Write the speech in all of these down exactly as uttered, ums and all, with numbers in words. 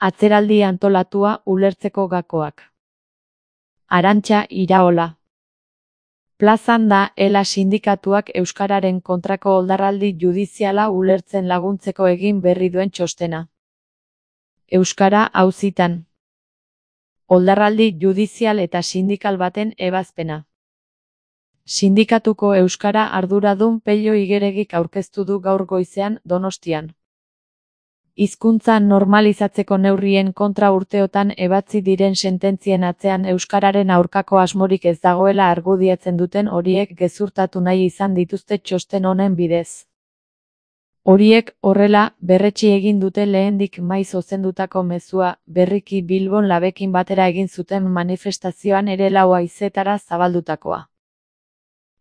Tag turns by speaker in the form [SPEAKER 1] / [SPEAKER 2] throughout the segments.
[SPEAKER 1] Atzeraldi antolatua ulertzeko gakoak. Arantxa Iraola. Plazan da ela sindikatuak euskararen kontrako oldarraldi judiziala ulertzen laguntzeko egin berri duen txostena. Euskara auzitan. Oldarraldi judizial eta sindikal baten ebazpena. Sindikatuko euskara arduradun Pello Igeregik aurkeztu du gaur goizean Donostian. Hizkuntza normalizatzeko neurrien kontra urteotan ebatzi diren sententzien atzean euskararen aurkako asmorik ez dagoela argudiatzen duten horiek gezurtatu nahi izan dituzte txosten honen bidez. Horiek horrela berretsi egin dute lehendik maiz ozendutako mezua, berriki Bilbon labekin batera egin zuten manifestazioan ere lau haizetara zabaldutakoa.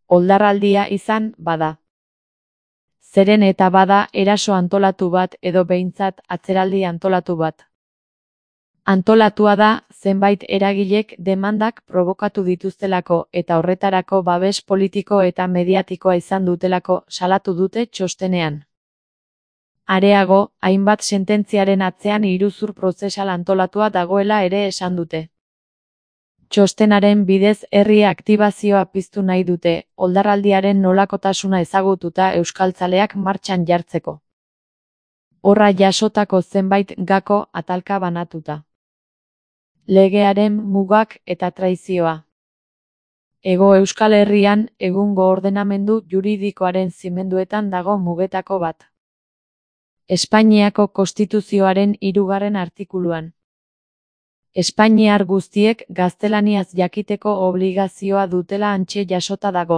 [SPEAKER 1] Oldarraldia izan, bada. Zeren eta bada eraso antolatu bat edo behintzat atzeraldi antolatu bat. Antolatua da zenbait eragilek demandak probokatu dituztelako eta horretarako babes politiko eta mediatikoa izan dutelako salatu dute txostenean. Areago, hainbat sententziaren atzean iruzur prozesal antolatua dagoela ere esan dute. Txostenaren bidez herri aktibazioa piztu nahi dute, oldarraldiaren nolakotasuna ezagututa euskaltzaleak martxan jartzeko. Horra jasotako zenbait gako atalka banatuta. Legearen mugak eta traizioa. Hego Euskal Herrian egungo ordenamendu juridikoaren zimenduetan dago mugetako bat. Espainiako Konstituzioaren hirugarren artikuluan. Espainiar guztiek gaztelaniaz jakiteko obligazioa dutela hantxe jasota dago.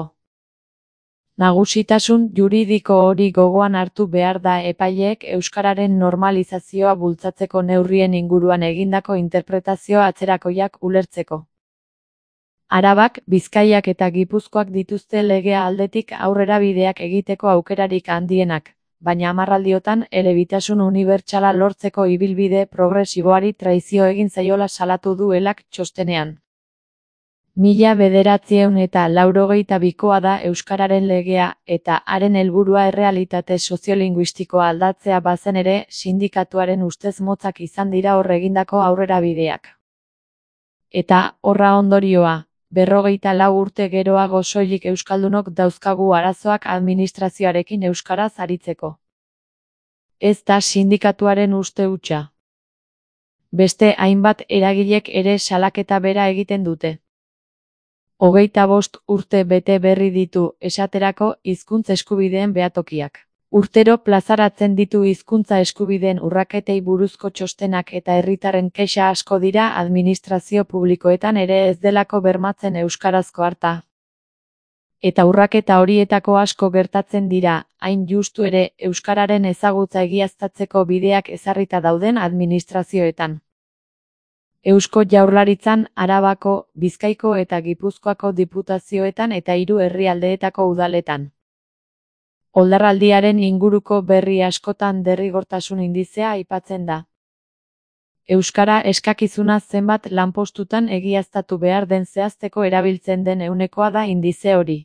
[SPEAKER 1] Nagusitasun juridiko hori gogoan hartu behar da epaileek euskararen normalizazioa bultzatzeko neurrien inguruan egindako interpretazio atzerakoiak ulertzeko. Arabak, Bizkaiak eta Gipuzkoak dituzte legea aldetik aurrera bideak egiteko aukerarik handienak, baina hamarraldiotan elebitasun unibertsala lortzeko ibilbide progresiboari traizio egin zaiola salatu du elak txostenean. Mila bederatziehun eta laurogeita bikoa da euskararen legea eta haren helburua errealitate soziolinguistikoa aldatzea bazen ere sindikatuaren ustez motzak izan dira hor egindako aurrera bideak. Eta horra ondorioa, berrogeita lau urte geroago soilik euskaldunok dauzkagu arazoak administrazioarekin euskaraz aritzeko. Ez da sindikatuaren uste hutsa. Beste hainbat eragilek ere salaketa bera egiten dute. Hogeita bost urte bete berri ditu esaterako hizkuntza eskubideen behatokiak. Urtero plazaratzen ditu hizkuntza eskubideen urraketei buruzko txostenak eta herritarren kexa asko dira administrazio publikoetan ere ez delako bermatzen euskarazko harta. Eta urraketa horietako asko gertatzen dira, hain justu ere euskararen ezagutza egiaztatzeko bideak ezarrita dauden administrazioetan. Eusko Jaurlaritzan, Arabako, Bizkaiko eta Gipuzkoako diputazioetan eta hiru herrialdeetako udaletan. Oldarraldiaren inguruko berri askotan derrigortasun indizea aipatzen da. Euskara eskakizuna zenbat lanpostutan egiaztatu behar den zehazteko erabiltzen den ehunekoa da indize hori.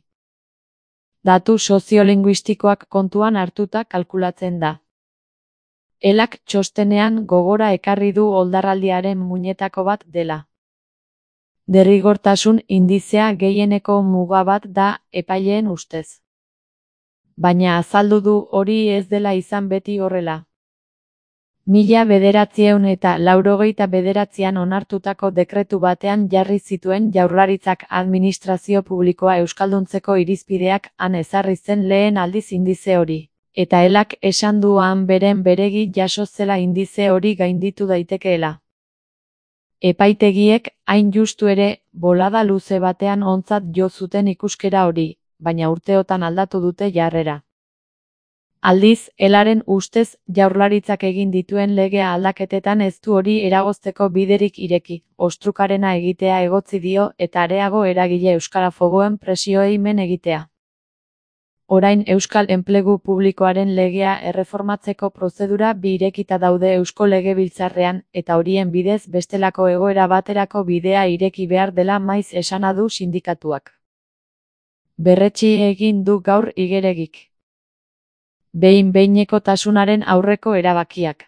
[SPEAKER 1] Datu soziolinguistikoak kontuan hartuta kalkulatzen da. Elak txostenean gogora ekarri du oldarraldiaren muinetako bat dela. Derrigortasun indizea gehieneko muga bat da epaileen ustez. Baina azaldu du hori ez dela izan beti horrela. Mila bederatziehun eta laurogeita bederatzian onartutako dekretu batean jarri zituen Jaurlaritzak administrazio publikoa euskalduntzeko irizpideak han ezarri zen lehen aldiz indize hori. Eta elak esan du han beren beregi jaso zela indize hori gainditu daitekeela. Epaitegiek hain justu ere bolada luze batean ontzat jo zuten ikuskera hori, baina urteotan aldatu dute jarrera. Aldiz, elaren ustez Jaurlaritzak egin dituen legea aldaketetan ez du hori eragozteko biderik ireki, ostrukarena egitea egotzi dio eta areago eragile euskarafoboen presioei men egitea. Orain Euskal Enplegu Publikoaren legea erreformatzeko prozedura bi irekita daude Eusko Legebiltzarrean eta horien bidez bestelako egoera baterako bidea ireki behar dela maiz esana du sindikatuak. Berretsi egin du gaur Igeregik. Behin-behinekotasunaren aurreko erabakiak.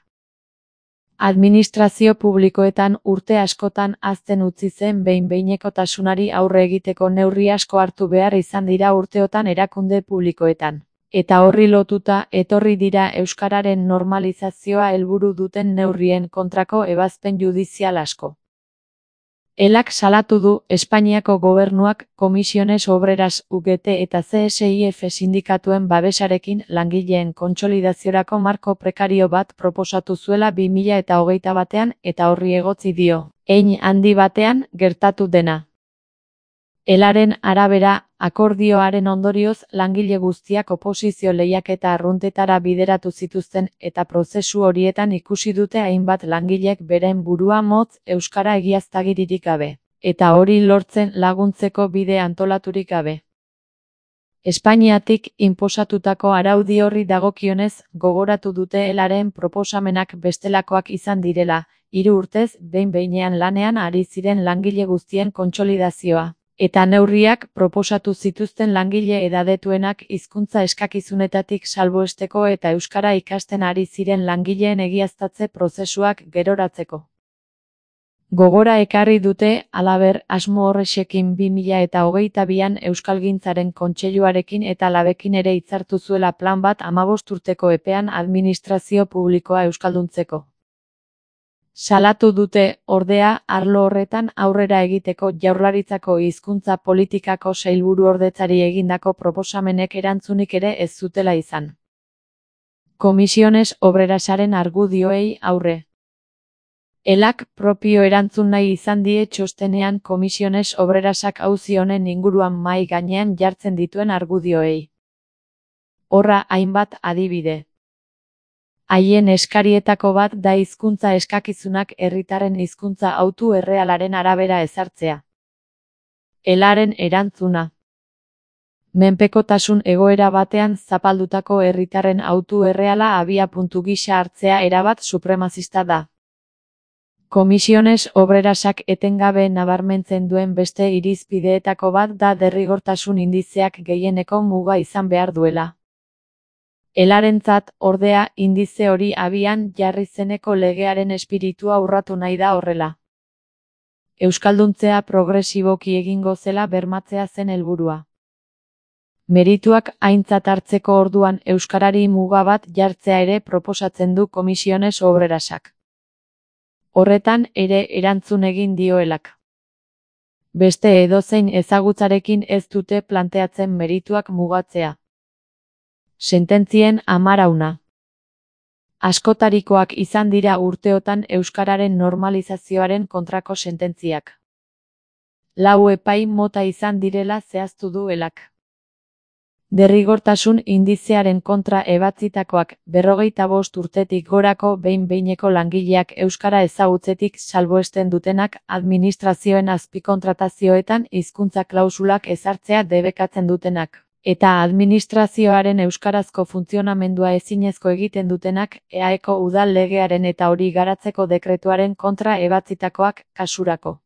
[SPEAKER 1] Administrazio publikoetan urte askotan hazten utzi zen behin-behinekotasunari aurre egiteko neurri asko hartu behar izan dira urteotan erakunde publikoetan. Eta horri lotuta etorri dira euskararen normalizazioa helburu duten neurrien kontrako ebazpen judizial asko. Elak salatu du Espainiako gobernuak Comisiones Obreras U G T eta C S I F sindikatuen babesarekin langileen kontsolidaziorako marko prekario bat proposatu zuela bi mila eta hogeita batean eta horri egotzi dio, hein handi batean gertatu dena. Elaren arabera, akordioaren ondorioz langile guztiak oposizio lehiaketa arruntetara bideratu zituzten eta prozesu horietan ikusi dute hainbat langilek beren burua motz euskara egiaztagiririk gabe, eta hori lortzen laguntzeko bide antolaturik gabe. Espainiatik inposatutako araudi horri dagokionez gogoratu dute Elaren proposamenak bestelakoak izan direla, hiru urtez behin-behinean lanean ari ziren langile guztien kontsolidazioa. Eta neurriak proposatu zituzten langile edadetuenak hizkuntza eskakizunetatik salbuesteko eta euskara ikasten ari ziren langileen egiaztatze prozesuak geroratzeko. Gogora ekarri dute, halaber, asmo horrexekin bi mila eta hogeita bian Euskalgintzaren Kontseiluarekin eta Labekin ere hitzartu zuela plan bat hamabost urteko epean administrazio publikoa euskalduntzeko. Salatu dute, ordea, arlo horretan aurrera egiteko Jaurlaritzako hizkuntza politikako sailburuordetzari egindako proposamenek erantzunik ere ez zutela izan. Comisiones Obrerasaren argudioei aurre. Elak propio erantzun nahi izan die txostenean Comisiones Obrerasak auzi honen inguruan mahai gainean jartzen dituen argudioei. Horra hainbat adibide. Haien eskarietako bat da hizkuntza eskakizunak herritarren hizkuntza autu errealaren arabera ezartzea. Elaren erantzuna. Menpekotasun egoera batean zapaldutako herritarren autu erreala abiapuntu gisa hartzea erabat supremazista da. Comisiones Obrerasak etengabe nabarmentzen duen beste irizpideetako bat da derrigortasun indizeak gehieneko muga izan behar duela. Elarentzat, ordea, indize hori abian jarri zeneko legearen espiritua urratu nahi da horrela. Euskalduntzea progresiboki egingo zela bermatzea zen helburua. Merituak aintzat hartzeko orduan euskarari muga bat jartzea ere proposatzen du Comisiones Obrerasak. Horretan ere erantzun egin dioelak. Beste edozein ezagutzarekin ez dute planteatzen merituak mugatzea. Sententzien amarauna. Askotarikoak izan dira urteotan euskararen normalizazioaren kontrako sententziak. Lau epai mota izan direla zehaztu du Elak. Derrigortasun indizearen kontra ebatzitakoak berrogeita bost urtetik gorako behin-behineko langileak euskara ezagutzetik salbuesten dutenak administrazioen azpikontratazioetan hizkuntza klausulak ezartzea debekatzen dutenak. Eta administrazioaren euskarazko funtzionamendua ezinezko egiten dutenak E A Eko udal legearen eta hori garatzeko dekretuaren kontra ebatzitakoak kasurako.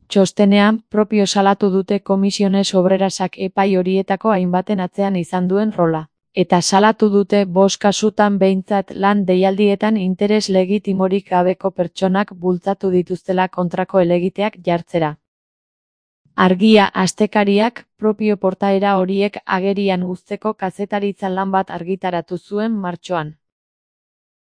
[SPEAKER 1] Txostenean, propio salatu dute Comisiones Obrerasak epai horietako hainbaten atzean izan duen rola. Eta salatu dute bost kasutan behintzat lan deialdietan interes legitimorik gabeko pertsonak bultzatu dituztela kontrako helegiteak jartzera. Argia astekariak propio portaera horiek agerian uzteko kazetaritza lan bat argitaratu zuen martxoan.